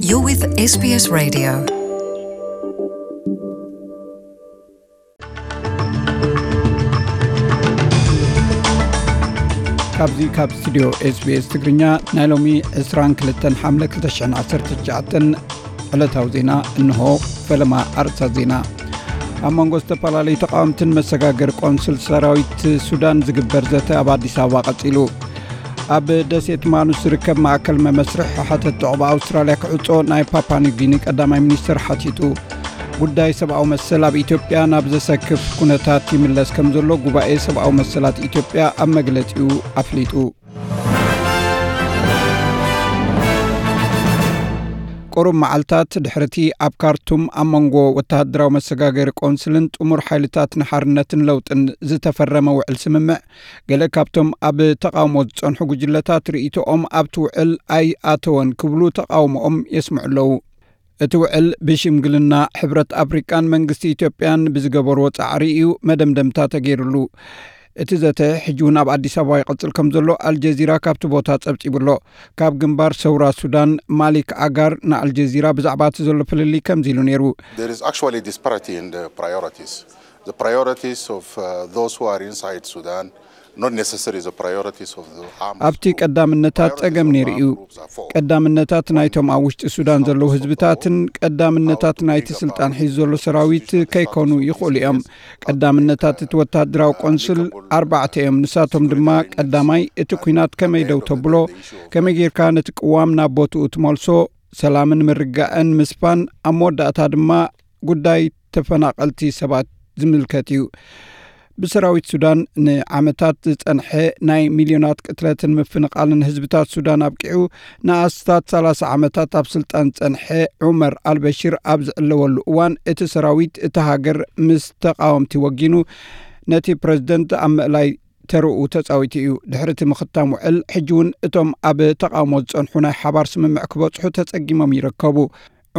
You're with S B S Radio. ካብዚ ካብ ስቱዲዮ ኤስቢኤስ ትግርኛ ናይ ሎሚ ዕስራን ክልተን ሓምለ ክልተ ሽሕን ዓሰርተ ትሽዓተን ዕለታዊ ዜና እንሆ። ፈለማ ኣርእስታት ዜና። ኣብ መንጎ ዝተፈላለዩ ተቃወምትን መሰጋገሪ ቆንስል ሰራዊት ሱዳን ዝግበር ዘተ ኣብ ኣዲስ ኣበባ ቀጺሉ። ኣብ ደሴት ማኑስ ዝርከብ ማእከል መመስርሒ ሓተት ዑቕባ ኣውስትራልያ ክዕጾ ናይ ፓፓ ኒው ጊኒ ቀዳማይ ሚኒስትር ሓቲቱ። ጉዳይ ሰብኣዊ መሰል ኣብ ኢትዮጵያ ናብ ዘሰክፍ ኩነታት ይምለስ ከም ዘሎ ጉባኤ ሰብኣዊ መሰላት ኢትዮጵያ ኣብ መግለጺኡ ኣፍሊጡ። ቁሩብ መዓልታት ድሕርቲ ኣብ ካርቱም ኣብ መንጎ ወተሃደራዊ መሰጋገሪ ቆንስልን ጥሙር ሓይልታት ንሓርነትን ለውጥን ዝተፈረመ ውዕል ስምምዕ፣ ገለ ካብቶም ኣብ ተቓውሞ ዝጸንሑ ጉጅለታት ርእይቶኦም ኣብቲ ውዕል ኣይኣተወን ክብሉ ተቓውሞኦም የስምዑ ኣለዉ። እቲ ውዕል ብሽምግልና ሕብረት ኣፍሪቃን መንግስቲ ኢትዮጵያን ብዝገበርዎ ጻዕሪ እዩ መደምደምታ ተገይሩሉ። እቲ ዘተ ሕጂ እውን ኣብ ኣዲስ ኣበባ ይቐጽል ከም ዘሎ ኣልጀዚራ ካብቲ ቦታ ጸብጺቡ ኣሎ። ካብ ግንባር ሰውራ ሱዳን ማሊክ ኣጋር ንኣልጀዚራ ብዛዕባ እቲ ዘሎ ፍልልይ ከምዚ ኢሉ ነይሩ። There is actually disparity in the priorities. The priorities of uh, those who are inside Sudan, not necessarily the priorities of the armed ኣብቲ group. ቀዳምነታት ጸገም ነይሩ እዩ። Priorities of armed groups are four. ቀዳምነታት ናይቶም ኣብ ውሽጢ ሱዳን ዘለዉ ህዝብታትን ቀዳምነታት ናይቲ ስልጣን ሒዙ ዘሎ ሰራዊት ከይኮኑ ይኽእሉ እዮም። ቀዳምነታት እቲ ወተሃደራዊ ቆንስል ኣርባዕተ እዮም። ንሳቶም ድማ ቀዳማይ እቲ ኲናት ከመይ ደው ተብሎ፣ ከመይ ጌርካ ነቲ ቅዋም ናብ ቦትኡ ትመልሶ፣ ሰላምን ምርጋእን ምስፋን፣ ኣብ መወዳእታ ድማ ጉዳይ ተፈናቐልቲ ሰባት ዝምልከት እዩ። ብሰራዊት ሱዳን ንዓመታት ዝጸንሐ ናይ ሚልዮናት ቅትለትን ምፍንቓልን ህዝብታት ሱዳን ኣብቂዑ፣ ንኣስታት ሰላሳ ዓመታት ኣብ ስልጣን ዝጸንሐ ዑመር ኣልበሽር ኣብ ዝዕለወሉ እዋን፣ እቲ ሰራዊት እታ ሃገር ምስ ተቓወምቲ ወጊኑ፣ ነቲ ፕረዚደንት ኣብ ምእላይ ተርኡ ተጻዊቱ እዩ። ድሕሪ እቲ ምኽታም ውዕል፣ ሕጂ እውን እቶም ኣብ ተቓውሞ ዝጸንሑ ናይ ሓባር ስምምዕ ክበጽሑ ተጸጊሞም ይርከቡ።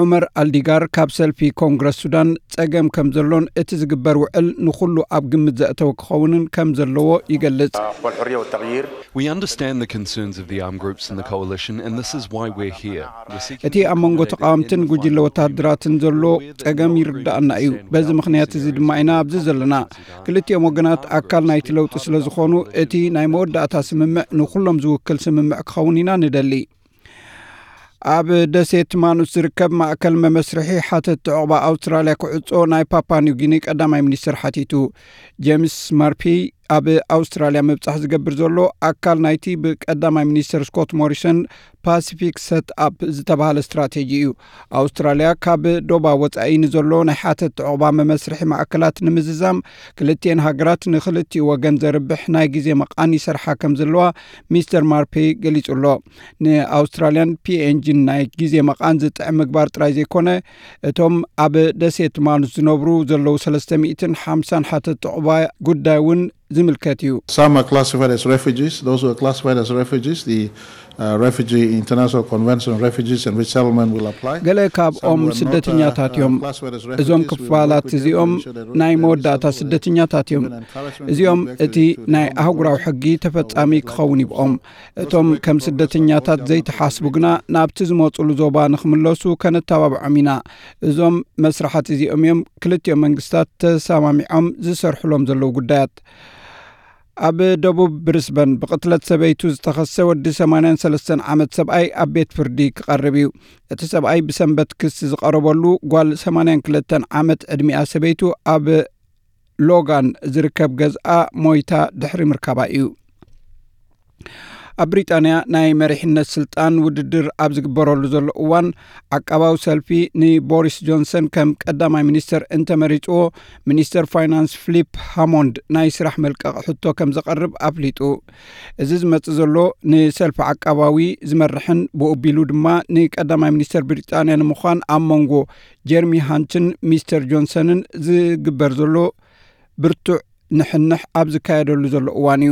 ዑመር ኣልዲጋር ካብ ሰልፊ ኮንግረስ ሱዳን ጸገም ከም ዘሎን እቲ ዝግበር ውዕል ንኹሉ ኣብ ግምት ዘእተወ ክኸውንን ከም ዘለዎ ይገልጽ። والحرية والتغيير. We understand the concerns of the armed groups in the coalition, and this is why we're here. We're seeking እቲ ኣብ መንጎ ተቃወምትን ጉጅለ ወተሃደራትን ዘሎ ጸገም ይርዳእና እዩ። በዚ ምኽንያት እዚ ድማ ኢና ኣብዚ ዘለና። ክልቲኦም ወገናት ኣካል ናይቲ ለውጢ ስለ ዝኾኑ፣ እቲ ናይ መወዳእታ ስምምዕ ንኹሎም ዝውክል ስምምዕ ክኸውን ኢና ንደሊ። ኣብ ደሴት ማኑስ ዝርከብ ማእከል መመስርሒ ሓተት ዕቑባ ኣውስትራልያ ክዕጾ ናይ ፓፓ ኒው ጊኒ ቀዳማይ ሚኒስትር ሓቲቱ። ጄምስ ማርፒ ኣብ ኣውስትራልያ ምብጻሕ ዝገብር ዘሎ ኣካል ናይቲ ብቀዳማይ ሚኒስትር ስኮት ሞሪሰን ፓሲፊክ ሰት ኣፕ ዝተባህለ ስትራቴጂ እዩ። ኣውስትራልያ ካብ ዶባ ወጻኢ ንዘሎ ናይ ሓተት ዕቑባ መመስርሒ ማእከላት ንምዝዛም ክልቲኤን ሃገራት ንክልቲኡ ወገን ዘርብሕ ናይ ግዜ መቓን ይሰርሓ ከም ዘለዋ ሚስተር ማርፔ ገሊጹ ኣሎ። ንኣውስትራልያን ፒኤንጂን ናይ ግዜ መቓን ዝጥዕም ምግባር ጥራይ ዘይኮነ፣ እቶም ኣብ ደሴት ማኑስ ዝነብሩ ዘለዉ ሰለስተ ሚእትን ሓምሳን ሓተት ዕቑባ ጉዳይ እውን ዝምልከት እዩ። Some are classified as refugees. Those who are classified as refugees, the uh, Refugee International Convention on Refugees and Resettlement will apply. ገለ ካብኦም ስደተኛታት እዮም። እዞም ክፋላት እዚኦም ናይ መወዳእታ ስደተኛታት እዮም። እዚኦም እቲ ናይ ኣህጉራዊ ሕጊ ተፈጻሚ ክኸውን ይብኦም። እቶም ከም ስደተኛታት ዘይተሓስቡ ግና ናብቲ ዝመጹሉ ዞባ ንኽምለሱ ከነተባብዖም ኢና። እዞም መስራሓት እዚኦም እዮም ክልቲኦም መንግስታት ተሰማሚዖም ዝሰርሕሎም ዘለዉ ጉዳያት። ኣብ ደቡብ ብሪስበን ብቕትለት ሰበይቱ ዝተኸሰ ወዲ ሰማንያን ሰለስተን ዓመት ሰብኣይ ኣብ ቤት ፍርዲ ክቐርብ እዩ። እቲ ሰብኣይ ብሰንበት ክሲ ዝቐረበሉ ጓል ሰማንያን ክልተን ዓመት ዕድሚኣ ሰበይቱ ኣብ ሎጋን ዝርከብ ገዝኣ ሞይታ ድሕሪ ምርካባ እዩ። ኣብ ብሪጣንያ ናይ መሪሕነት ስልጣን ውድድር ኣብ ዝግበረሉ ዘሎ እዋን፣ ዓቃባዊ ሰልፊ ንቦሪስ ጆንሰን ከም ቀዳማይ ሚኒስተር እንተመሪጽዎ፣ ሚኒስተር ፋይናንስ ፊሊፕ ሃሞንድ ናይ ስራሕ መልቀቕ ሕቶ ከም ዘቐርብ ኣፍሊጡ። እዚ ዝመጽእ ዘሎ ንሰልፊ ዓቃባዊ ዝመርሕን ብኡ ኣቢሉ ድማ ንቀዳማይ ሚኒስተር ብሪጣንያ ንምዃን ኣብ መንጎ ጀርሚ ሃንትን ሚስተር ጆንሰንን ዝግበር ዘሎ ብርቱዕ ንሕንሕ ኣብ ዝካየደሉ ዘሎ እዋን እዩ።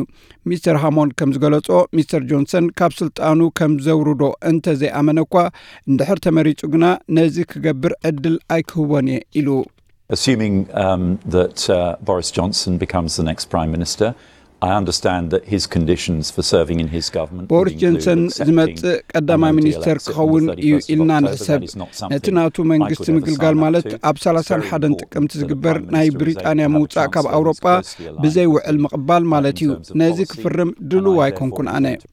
ሚስተር ሃሞንድ ከም ዝገለጾ፣ ሚስተር ጆንሰን ካብ ስልጣኑ ከም ዘውርዶ እንተ ዘይኣመነ እኳ፣ እንድሕር ተመሪጹ ግና ነዚ ክገብር ዕድል ኣይክህቦን እየ ኢሉ። Assuming um, that uh, Boris Johnson becomes the next Prime Minister, I understand that his conditions for serving in his government would ቦሪስ include ጆንሰን accepting ዝመጽእ ቀዳማይ an O D L ሚኒስተር exit on the ክኸውን እዩ thirty-first of ኢልና October. ንሕሰብ። That is not something ነቲ ናቱ I መንግስቲ could ever ምግልጋል sign up ማለት to. ኣብ It's very ሰላሳን ሓደን important ጥቅምቲ that the ዝግበር Prime ናይ Minister is able ብሪጣንያ to have a ምውጻእ chance ካብ to be ኣውሮጳ closely aligned ብዘይ with ውዕል him, ምቕባል uh, ማለት in እዩ። terms of ነዚ policy, ክፍርም and ድሉው I ኣይኮንኩን therefore ኣነ። intend to.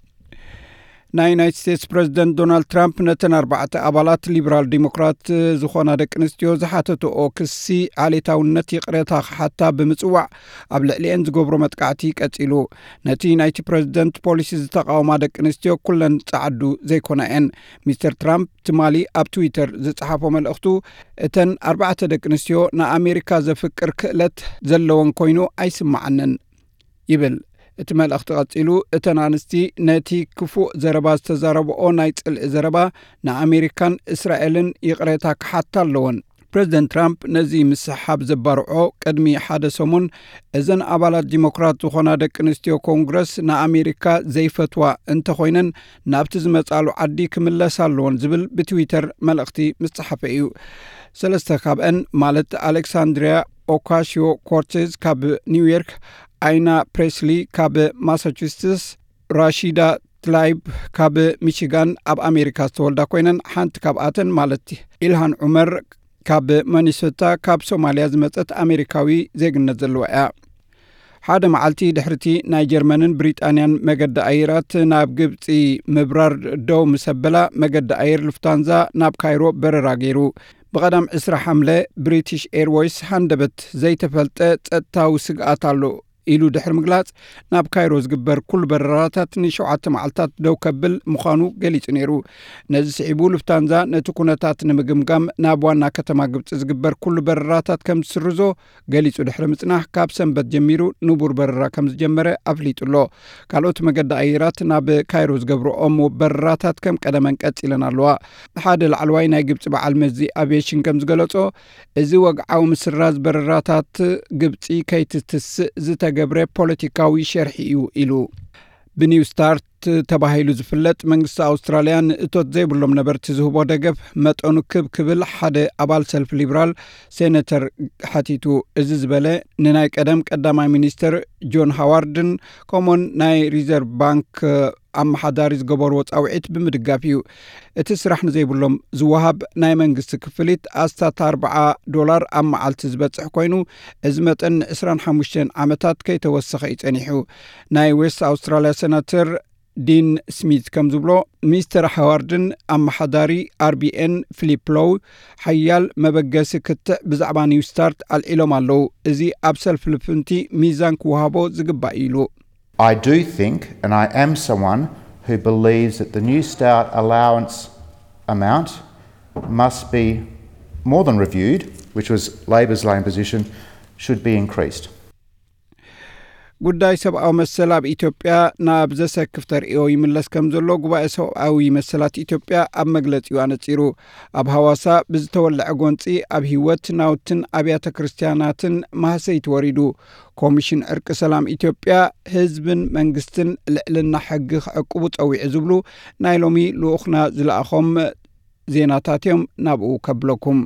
ናይ ዩናይትድ ስቴትስ ፕረዚደንት ዶናልድ ትራምፕ ነተን ኣርባዕተ ኣባላት ሊበራል ዲሞክራት ዝኾና ደቂ ኣንስትዮ ዝሓተትኦ ክሲ ዓሌታውነት ይቕሬታ ክሓታ ብምጽዋዕ ኣብ ልዕሊኤን ዝገብሮ መጥቃዕቲ ቀጺሉ። ነቲ ናይቲ ፕረዚደንት ፖሊሲ ዝተቃወማ ደቂ ኣንስትዮ ኩለን ጸዓዱ ዘይኮና እየን። ሚስተር ትራምፕ ትማሊ ኣብ ትዊተር ዝጸሓፎ መልእኽቱ፣ እተን ኣርባዕተ ደቂ ኣንስትዮ ንኣሜሪካ ዘፍቅር ክእለት ዘለወን ኮይኑ ኣይስምዓንን ይብል። እቲ መልእኽቲ ቀጺሉ፣ እተን ኣንስቲ ነቲ ክፉእ ዘረባ ዝተዛረብኦ ናይ ጽልኢ ዘረባ ንኣሜሪካን እስራኤልን ይቕሬታ ክሓታ ኣለወን። ፕረዚደንት ትራምፕ ነዚ ምስሓብ ዘባርዖ ቅድሚ ሓደ ሰሙን፣ እዘን ኣባላት ዲሞክራት ዝኾና ደቂ ኣንስትዮ ኮንግረስ ንኣሜሪካ ዘይፈትዋ እንተኾይነን ናብቲ ዝመጻሉ ዓዲ ክምለሳ ኣለወን ዝብል ብትዊተር መልእኽቲ ምስ ጸሓፈ እዩ። ሰለስተ ካብአን ማለት ኣሌክሳንድሪያ ኦካሲዮ ኮርቴዝ ካብ ኒውዮርክ፣ ኣይና ፕሬስሊ ካብ ማሳቹሴትስ፣ ራሺዳ ትላይብ ካብ ሚቺጋን ኣብ ኣሜሪካ ዝተወልዳ ኮይነን፣ ሓንቲ ካብኣተን ማለት ኢልሃን ዑመር ካብ ሚኒሶታ ካብ ሶማልያ ዝመጸት ኣሜሪካዊ ዜግነት ዘለዋ እያ። ሓደ መዓልቲ ድሕርቲ ናይ ጀርመንን ብሪጣንያን መገዲ ኣየራት ናብ ግብጺ ምብራር ደው ምስ ኣበላ፣ መገዲ ኣየር ሉፍታንዛ ናብ ካይሮ በረራ ገይሩ። ብቐዳም ዕስራ ሓምለ ብሪቲሽ ኤርወይስ ሃንደበት ዘይተፈልጠ ጸጥታዊ ስግኣት ኣሎ ኢሉ ድሕሪ ምግላጽ፣ ናብ ካይሮ ዝግበር ኩሉ በረራታት ንሸውዓተ መዓልታት ደው ከብል ምዃኑ ገሊጹ ነይሩ። ነዚ ስዒቡ ሉፍታንዛ ነቲ ኩነታት ንምግምጋም ናብ ዋና ከተማ ግብጺ ዝግበር ኩሉ በረራታት ከም ዝስርዞ ገሊጹ ድሕሪ ምጽናሕ፣ ካብ ሰንበት ጀሚሩ ንቡር በረራ ከም ዝጀመረ ኣፍሊጡ ኣሎ። ካልኦት መገዲ ኣየራት ናብ ካይሮ ዝገብርኦም በረራታት ከም ቀደመን ቀጺለን ኣለዋ። ሓደ ላዕለዋይ ናይ ግብጺ በዓል መዚ ኣቪዬሽን ከም ዝገለጾ፣ እዚ ወግዓዊ ምስራዝ በረራታት ግብጺ ከይትትስእ ዝተገብረ ፖለቲካዊ ሸርሒ እዩ ኢሉ። ብኒው ስታርት ተባሂሉ ዝፍለጥ መንግስቲ ኣውስትራልያ ንእቶት ዘይብሎም ነበርቲ ዝህቦ ደገፍ መጠኑ ክብ ክብል ሓደ ኣባል ሰልፊ ሊብራል ሴነተር ሓቲቱ። እዚ ዝበለ ንናይ ቀደም ቀዳማይ ሚኒስተር ጆን ሃዋርድን ከምኡውን ናይ ሪዘርቭ ባንክ ኣመሓዳሪ ዝገበርዎ ጻውዒት ብምድጋፍ እዩ። እቲ ስራሕ ንዘይብሎም ዝወሃብ ናይ መንግስቲ ክፍሊት ኣስታት ኣርብዓ ዶላር ኣብ መዓልቲ ዝበጽሕ ኮይኑ፣ እዚ መጠን ንዕስራን ሓሙሽተን ዓመታት ከይተወሰኸ እዩ ጸኒሑ። ናይ ዌስት ኣውስትራልያ ሴናተር ዲን ስሚት ከም ዝብሎ፣ ሚስተር ሃዋርድን ኣመሓዳሪ ኣርቢኤን ፊሊፕ ሎው ሓያል መበገሲ ክትዕ ብዛዕባ ኒው ስታርት ኣልዒሎም ኣለዉ። እዚ ኣብ ሰልፊ ልፍንቲ ሚዛን ክወሃቦ ዝግባእ እዩ ኢሉ። I do think, and I am someone who believes that the New Start allowance amount must be more than reviewed, which was Labor's lane position, should be increased. ጉዳይ ሰብኣዊ መሰል ኣብ ኢትዮጵያ ናብ ዘሰክፍ ተርእዮ ይምለስ ከም ዘሎ ጉባኤ ሰብኣዊ መሰላት ኢትዮጵያ ኣብ መግለጺኡ ኣነጺሩ። ኣብ ሃዋሳ ብዝተወለዐ ጎንጺ ኣብ ህይወት ናውትን ኣብያተ ክርስቲያናትን ማህሰይቲ ወሪዱ። ኮሚሽን ዕርቂ ሰላም ኢትዮጵያ ህዝብን መንግስትን ልዕልና ሕጊ ክዕቅቡ ጸዊዑ ዝብሉ ናይ ሎሚ ልኡኽና ዝለኣኾም ዜናታት እዮም። ናብኡ ከብለኩም።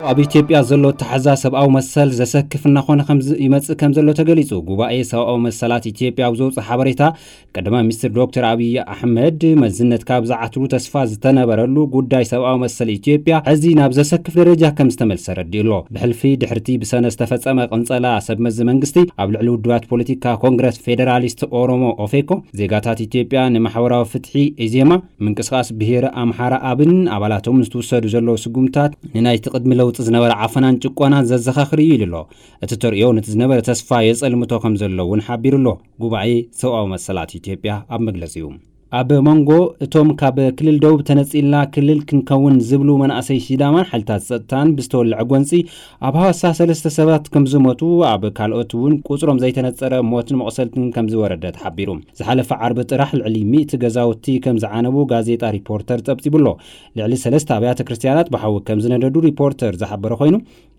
ኣብ ኢትዮጵያ ዘሎ ኣተሓዛ ሰብኣዊ መሰል ዘሰክፍ እናኾነ ከም ዝ- ይመጽእ ከም ዘሎ ተገሊጹ። ጉባኤ ሰብኣዊ መሰላት ኢትዮጵያ ኣብ ዘውፅእ ሓበሬታ፣ ቀዳማይ ሚኒስትር ዶክተር ኣብይ ኣሕመድ መዝነት ካብ ዝዓትሩ ተስፋ ዝተነበረሉ ጉዳይ ሰብኣዊ መሰል ኢትዮጵያ ሕዚ ናብ ዘሰክፍ ደረጃ ከም ዝተመልሰ ረዲኡ ኣሎ። ብሕልፊ ድሕርቲ ብሰነ ዝተፈጸመ ቅንጸላ ሰብ መዚ መንግስቲ ኣብ ልዕሊ ውድባት ፖለቲካ ኮንግረስ ፌዴራሊስት ኦሮሞ ኦፌኮ፣ ዜጋታት ኢትዮጵያ ንማሕበራዊ ፍትሒ ኢዜማ፣ ምንቅስቃስ ብሄረ ኣምሓራ ኣብን ኣባላቶም ዝተወሰዱ ዘለዉ ስጉምታት ንናይቲ ቅድሚ ለውጢ ዝነበረ ዓፈናን ጭቆናን ዘዘኻኽር እዩ ኢሉ ኣሎ። እቲ ተርእዮ ነቲ ዝነበረ ተስፋ የጸልምቶ ከም ዘሎ እውን ሓቢሩ ኣሎ። ጉባኤ ሰብኣዊ መሰላት ኢትዮጵያ ኣብ መግለጺኡ፣ ኣብ መንጎ እቶም ካብ ክልል ደቡብ ተነጺልና ክልል ክንከውን ዝብሉ መናእሰይ ሲዳማን ሓይልታት ጸጥታን ብዝተወለዐ ጎንጺ ኣብ ሃዋሳ ሰለስተ ሰባት ከም ዝሞቱ፣ ኣብ ካልኦት እውን ቁጽሮም ዘይተነጸረ ሞትን መቑሰልትን ከም ዝወረደ ተሓቢሩ። ዝሓለፈ ዓርቢ ጥራሕ ልዕሊ ሚእቲ ገዛውቲ ከም ዝዓነቡ ጋዜጣ ሪፖርተር ጸብጺቡ ኣሎ። ልዕሊ ሰለስተ ኣብያተ ክርስትያናት ብሓዊ ከም ዝነደዱ ሪፖርተር ዝሓበረ ኮይኑ፣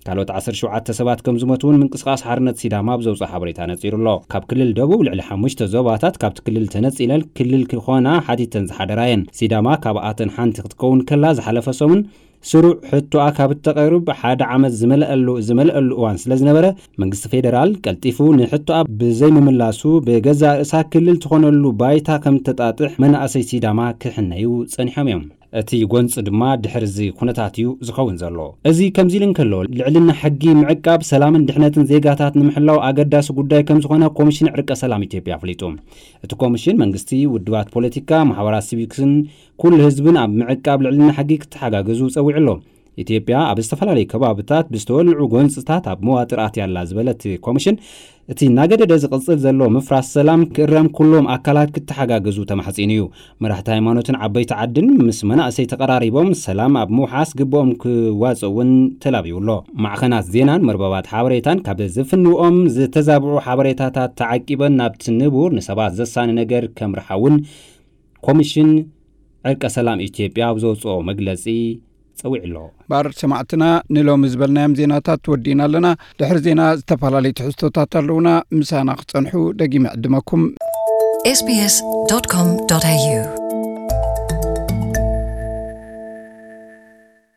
ካልኦት ዓሰርተ ሸውዓተ ሰባት ከም ዝሞቱ እውን ምንቅስቃስ ሓርነት ሲዳማ ኣብ ዘውፅኦ ሓበሬታ ነፂሩ ኣሎ። ካብ ክልል ደቡብ ልዕሊ ሓሙሽተ ዞባታት ካብቲ ክልል ተነፂለን ክልል ክኾና ሓቲተን ዝሓደራ እየን። ሲዳማ ካብኣተን ሓንቲ ክትከውን ከላ፣ ዝሓለፈ ሰሙን ስሩዕ ሕቶኣ ካብ እተቐርብ ሓደ ዓመት ዝመልአሉ ዝመልአሉ እዋን ስለ ዝነበረ፣ መንግስቲ ፌደራል ቀልጢፉ ንሕቶኣ ብዘይምምላሱ፣ ብገዛእ ርእሳ ክልል ትኾነሉ ባይታ ከም ተጣጥሕ መናእሰይ ሲዳማ ክሕነዩ ጸኒሖም እዮም። እቲ ጎንፂ ድማ ድሕሪ እዚ ኩነታት እዩ ዝኸውን ዘሎ። እዚ ከምዚ ኢሉ እንከሎ፣ ልዕልና ሕጊ ምዕቃብ ሰላምን ድሕነትን ዜጋታት ንምሕላው ኣገዳሲ ጉዳይ ከም ዝኾነ ኮሚሽን ዕርቀ ሰላም ኢትዮጵያ ኣፍሊጡ። እቲ ኮሚሽን መንግስቲ፣ ውድባት ፖለቲካ፣ ማሕበራት ሲቪክስን ኩሉ ህዝብን ኣብ ምዕቃብ ልዕልና ሕጊ ክተሓጋገዙ ጸዊዑ ኣሎ። ኢትዮጵያ ኣብ ዝተፈላለዩ ከባብታት ብዝተወልዑ ጎንፅታት ኣብ መዋጥር ኣትያ ኣላ ዝበለ እቲ ኮሚሽን፣ እቲ እናገደደ ዝቕፅል ዘሎ ምፍራስ ሰላም ክእረም ኩሎም ኣካላት ክተሓጋገዙ ተማሕፂኑ እዩ። መራሕቲ ሃይማኖትን ዓበይቲ ዓድን ምስ መናእሰይ ተቐራሪቦም ሰላም ኣብ ምውሓስ ግብኦም ክዋፅኡ እውን ተላብዩ ኣሎ። ማዕኸናት ዜናን መርበባት ሓበሬታን ካብ ዝፍንውኦም ዝተዛብዑ ሓበሬታታት ተዓቂበን ናብቲ ንቡር ንሰባት ዘሳኒ ነገር ከምርሓ እውን ኮሚሽን ዕርቀ ሰላም ኢትዮጵያ ኣብ ዘውፅኦ መግለፂ ጸዊዑ ኣሎ። ባር ሰማዕትና፣ ንሎሚ ዝበልናዮም ዜናታት ወዲእና ኣለና። ድሕሪ ዜና ዝተፈላለዩ ትሕዝቶታት ኣለውና። ምሳና ክጸንሑ ደጊመ ዕድመኩም። sbs.com.au